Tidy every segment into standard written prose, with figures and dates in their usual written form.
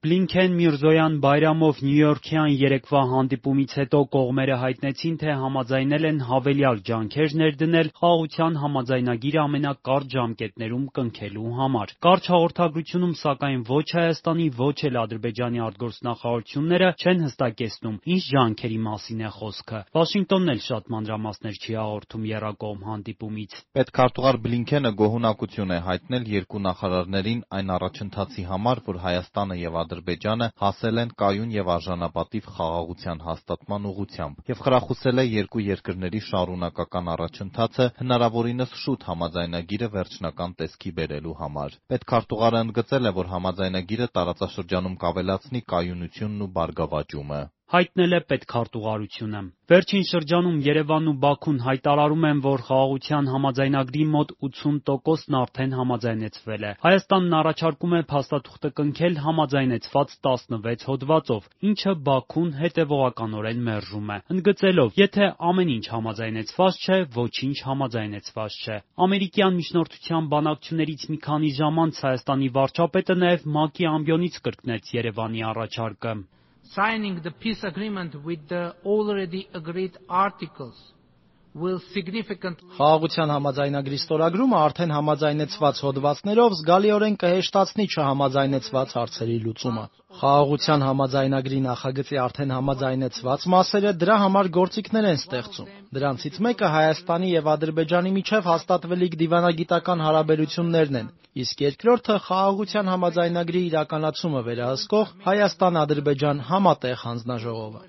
Բլինքեն-Միրզոյան-Բայրամով նյույորքյան երեկվա հանդիպումից հետո կողմերը հայտնեցին, թե համաձայնել են հավելյալ ջանքեր ներդնել խաղաղության համաձայնագիրը ամենակարճ ժամկետներում կնքելու համար։ Կարճ հաղորդագրությունում, սակայն, ոչ Հայաստանի, ոչ էլ Ադրբեջանի արտգործնախարարությունները չեն հստակեցնում, ինչ ջանքերի մասին է խոսքը։ Վաշինգտոնն էլ շատ մանրամասներ չի հաղորդում եռակողմ հանդիպումից։ Պետքարտուղար Բլինքենը գոհունակություն է հայտնել երկու նախարարներին այն առաջընթացի համար, որ Հայաստանը եւ Ադրբեջանը հասել են կայուն եւ արժանապատիվ խաղաղության հաստատման ուղղությամբ, եւ խրախուսել է երկու երկրների շարունակական առաջընթացը հնարավորինս շուտ համաձայնագիրը վերջնական տեսքի բերելու համար։ Պետքարտուղարը ընդգծել է, որ համաձայնագիրը տարածաշրջանում կավելացնի կայունությունն ու բարգավաճումը։ Հայտնել է պետքարտուղարությունը։ Վերջին շրջանում Երևանն ու Բաքուն հայտարարում են, որ խաղաղության համաձայնագրի մոտ 80%-ն արդեն համաձայնեցվել է։ Հայաստանն առաջարկում է փաստաթուղթը կնքել համաձայնեցված 16 հոդվածով, ինչը Բաքուն հետևողականորեն մերժում է, ընդգծելով, եթե ամեն ինչ համաձայնեցված չէ, ոչինչ համաձայնեցված չէ։ Ամերիկյան միջնորդության բանակցություններից մի քանի ժամ անց Հայաստանի վարչապետը նաև ՄԱԿ-ի ամբիոնից կրկնեց Երևանի առաջարկը։ Signing the peace agreement with the already agreed articles will significantly Խաղաղության համաձայնագրի ստորագրումը արդեն համաձայնեցված հոդվածներով զգալիորեն կհեշտացնի չհամաձայնեցված հարցերի լուծումը։ Խաղաղության համաձայնագրի նախագծի արդեն համաձայնեցված մասերը դրա համար գործիքներ են ստեղծում։ Դրանցից մեկը Հայաստանի եւ Ադրբեջանի միջև հաստատվելիք դիվանագիտական հարաբերություններն են, իսկ երկրորդը խաղաղության համաձայնագրի իրականացումը վերահսկող Հայաստան-Ադրբեջան համատեղ հանձնաժողովը։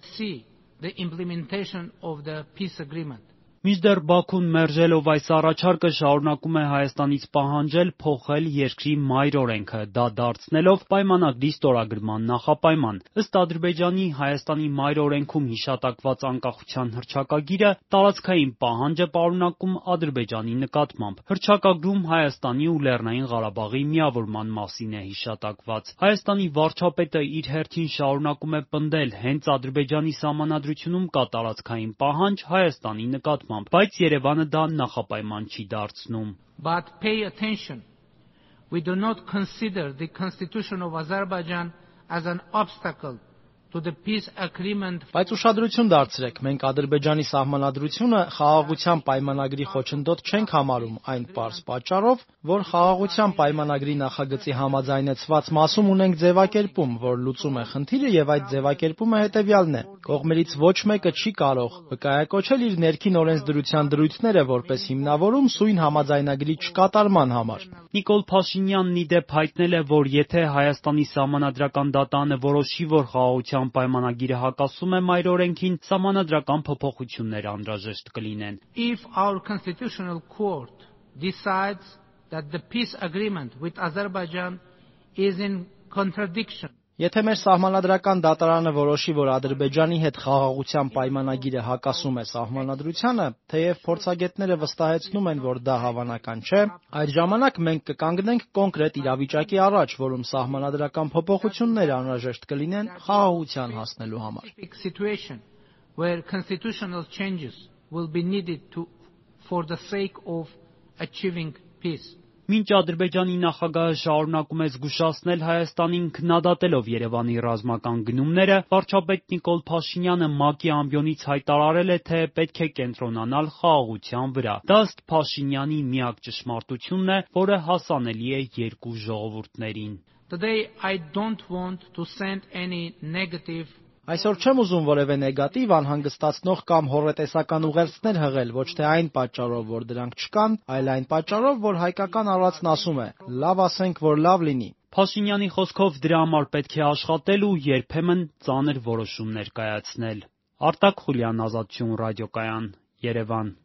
the implementation of the peace agreement. Մինչդեռ Բաքուն մերժելով այս առաջարկը շարունակում է Հայաստանից պահանջել փոխել երկրի մայր օրենքը, դա դարձնելով պայմանագրի ստորագրման նախապայման։ Ըստ Ադրբեջանի, Հայաստանի մայր օրենքում հիշատակված անկախության հռչակագիրը տարածքային պահանջ է պարունակում Ադրբեջանի նկատմամբ։ Հռչակագրում Հայաստանի ու Լեռնային Ղարաբաղի միավորման մասին է հիշատակված։ Հայաստանի վարչապետը իր հերթին շարունակում է պնդել, հենց Ադրբեջանի սահմանադրությունում կա տարածքային պահանջ Հայաստանի նկատմամբ, բայց Երևանը դա նախապայման չի դարձնում։ But pay attention. We do not consider the constitution of Azerbaijan as an obstacle to the peace agreement. Բայց ուշադրություն դարձրեք, մենք Ադրբեջանի սահմանադրությունը խաղաղության պայմանագրի խոչընդոտ չենք համարում այն պարզ պատճառով, որ խաղաղության պայմանագրի նախագծի համաձայնեցված մասում ունենք ձևակերպում, որ լուծում է խնդիրը եւ այդ ձևակերպումը հետեւյալն է. կողմերից ոչ մեկը չի կարող վկայակոչել իր ներքին օրենսդրության դրույթները որպես հիմնավորում սույն համաձայնագրի չկատարման համար։ Նիկոլ Փաշինյանն ի դեպ հայտնել է, որ եթե Հայաստանի սահմանադրական դատարանը որոշի, որ խաղաղության պայմանագիրը հակասում է մայր օրենքին, սահմանադրական փոփոխություններ անհրաժեշտ կլինեն։ If our constitutional court decides that the peace agreement with Azerbaijan is in contradiction. Եթե մեր սահմանադրական դատարանը որոշի, որ Ադրբեջանի հետ խաղաղության պայմանագիրը հակասում է սահմանադրությանը, թեև փորձագետները վստահեցնում են, որ դա հավանական չէ, այդ ժամանակ մենք կկանգնենք կոնկրետ իրավիճակի առաջ, որում սահմանադրական փոփոխություններ անհրաժեշտ կլինեն խաղաղության հասնելու համար։ Situation where constitutional changes will be needed for the sake of achieving peace. Մինչ Ադրբեջանի նախագահը շարունակում է զգուշացնել Հայաստանին քննադատելով Երևանի ռազմական գնումները, վարչապետ Նիկոլ Փաշինյանը ՄԱԿ-ի ամբիոնից հայտարարել է, թե պետք է կենտրոնանալ խաղաղության վրա։ Դա ըստ Փաշինյանի միակ ճշմարտությունն է, որը հասանելի է երկու ժողովուրդներին։ Today I don't want to send any negative. Այսօր չեմ ուզում որևէ նեգատիվ, անհանգստացնող կամ հոռետեսական ուղերձներ հղել, ոչ թե այն պատճառով, որ դրանք չկան, այլ այն պատճառով, որ հայկական առածն ասում է. լավ ասենք, որ լավ լինի։ Փաշինյանի խոսքով դրա համար պետք է աշխատել ու երբեմն ծանր որոշումներ կայացնել։ Արտակ Խուլյան, Ազատություն ռադիոկայան, Երևան։